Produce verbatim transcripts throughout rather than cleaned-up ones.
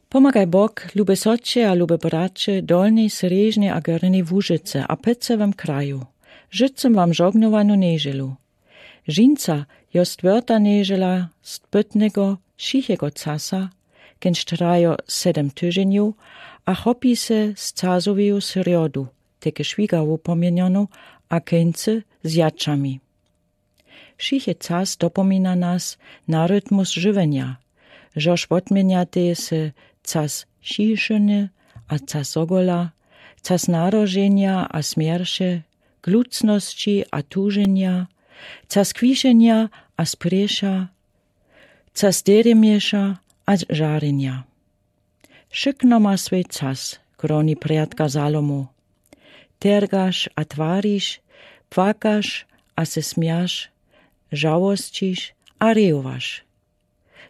Pomagaj bok, lube sotře a lube bratře, dolnej srjeżnej a gornej wóżece a pecewem kraju. Żëcym wam żognowanu neżelu. Żinca jo stwórta neżela spytnego szichego casa, kenž trajo sedem tyżeniu a chopi se z casoweju srjodu, teke szwiga wupomienjonu, a keńcy z jaczami. Sziche cas dopomina nas na rytmus żywenia, żoż wotmienjatej se cas sziszeny a cas zogola, cas narodżenia a smierše, glucnosci a tużenia, cas kwiszenia a spriesza, cas derjemieša a żarenia. Wszëkno ma swej cas, groni prjadka Zalomu. Tergaš a twariš, płakaš a se smiaš, żałosciš a rejowaš.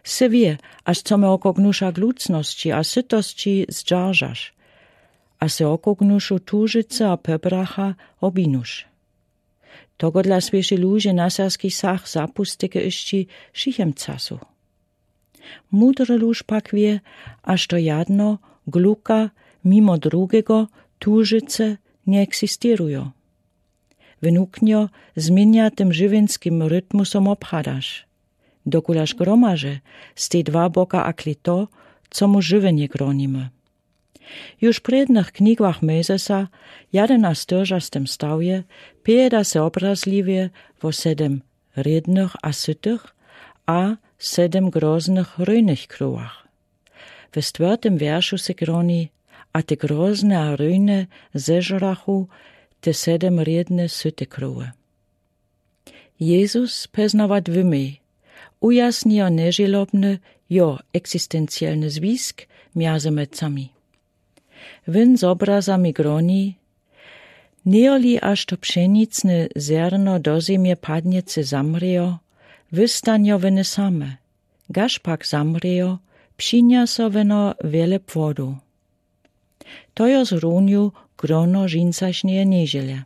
Sy wie, aż co me okognuša glucnosci a sytosci zdżaržaš, a sy okognušu tużëce a pebracha obinuš. Togodla słěši luźe na sersczi sach zapustike išči w szichym casu. Mudry luž pak wě, aż to jadno gluka mimo drugego tużëce njeeksistěrujo. Wnuknjo zmienja tym żywenskim rytmusom obchadaš, dokulaž gromaže z tej dwa boka akli to, co mu żywenié gronimy. Juž w prědnych knigach Mojzesa, jadenastyrdzastym stawje, pejeda se obrazljiwje wo sedem rědnych a sytych a sedem groznych rujnych krowach. We stwórtym wieršu se groni: A te grozne a rujne zežrachu te sedem rědne syte krowy. Jezus peznawa dwymej ujasnijo nježelobny jo eksistencielny zwisk mjazy mecami. Wón z obrazami groni: Nijoli aż to pšenicne zerno do zemje padnjecy zamrzejo, wystanjo wone same, gaż pak zamrzejo, przinjaso wone wiele płodu. To jo zrównił grono žincašnjeje nježele.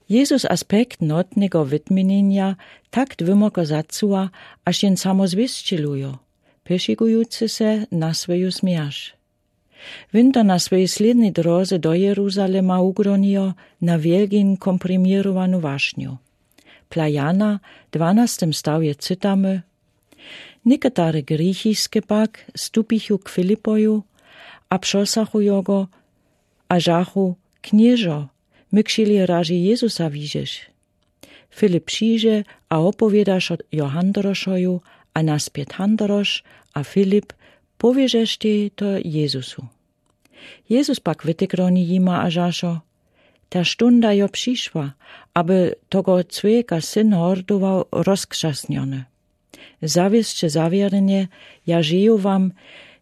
Jezus aspekt notnego wetminienja tak dwymoko zacuwa, aż jen samo zwěsćelujo, pešigujucy se na swoju smierć. Wón to na swojej slědnej drodze do Jeruzalema ugronijo na wielgin komprimirowanu wašnju. Pla Jana w dwanastym stawje cytamy: Někotary grichiske pak stupichu k Filipoju a prosachu jo go a rzachu: Knježo, my chcieli razy Jezusa widzieć. Filip přińdźe a opowěda wšo jo Handrošoju, a naspět Handroš a Filip powězeštej to Jezusu. Jezus pak wytekroni jima a rzašo: Ta štunda jo přišła, aby tego człowieka Syn hordował rozkrzasniony. Zawěsće zawěrnie, ja rzeju wam,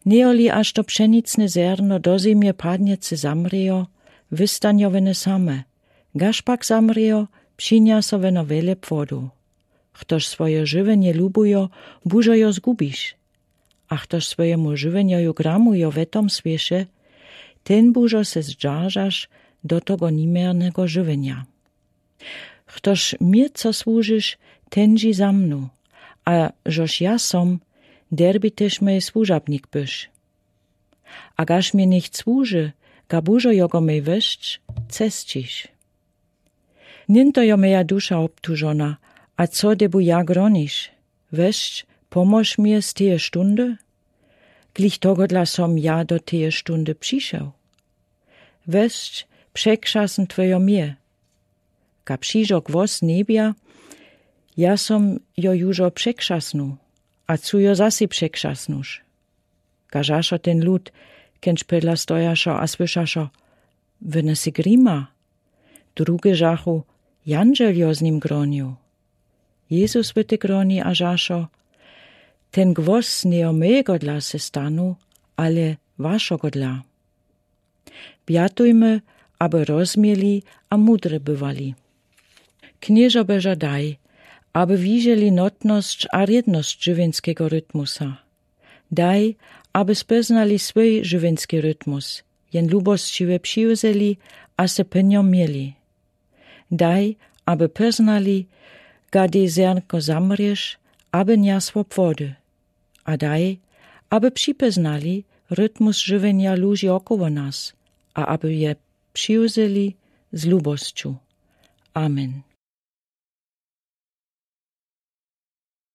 nijoli aż to pšenicne zerno do zemje padnjecy zamrzejo, wystanjo wone same, gaż pak zamrzejo, przinjaso wone wiele płodu. Chtoż swoje żywjenje lubujo, bužo jo zgubić. A chtoż swojemu żywjenjoju gramujo we tom swěše, ten bužo se zdżaržaš do tego niměrnego żywjenja. Chtoż mie co słužiš, ten dźi za mnu, a žož ja som, derbi tež mej słužabnik być. A gaż mie nicht słuži, ga bužo jo go mej wesć, cesćiš. Njen to jo meja duša obtužona, a co tebu ja groniš? Wesć, pomóż mie z teje štundy? Glich togodla som ja do teje štundy přišel. Wesć, przekrzasn twejo mie. Ga přižo gwos z njebja, ja som jo južo przekrzasnył, a cu jo zasej przekrzasnyš? Gažašo ten lud, kenč podla stojašo a słyšašo: Wone sy grima. Druge žachu: Jandźel jo z nim gronił. Jezus wytekroni a žašo: Ten gwos njejo mejegodla se stanył, ale wašogodla. Wjatujmy, aby rozmieli a mudri bywali. Knježo Božo, daj, aby wiželi notnosć a rědnosć żywjenskego rytmusa. Daj, aby spóznali swój żywjenski rytmus, jen lubosćiwe přiwzeli a se pó njom mieli. Daj, aby póznali, gady zernko zamrješ, aby niosło płody. A daj, aby připóznali, ritmus żëwjenja luzi około nas, a aby je przijãli z luboscą. Amen.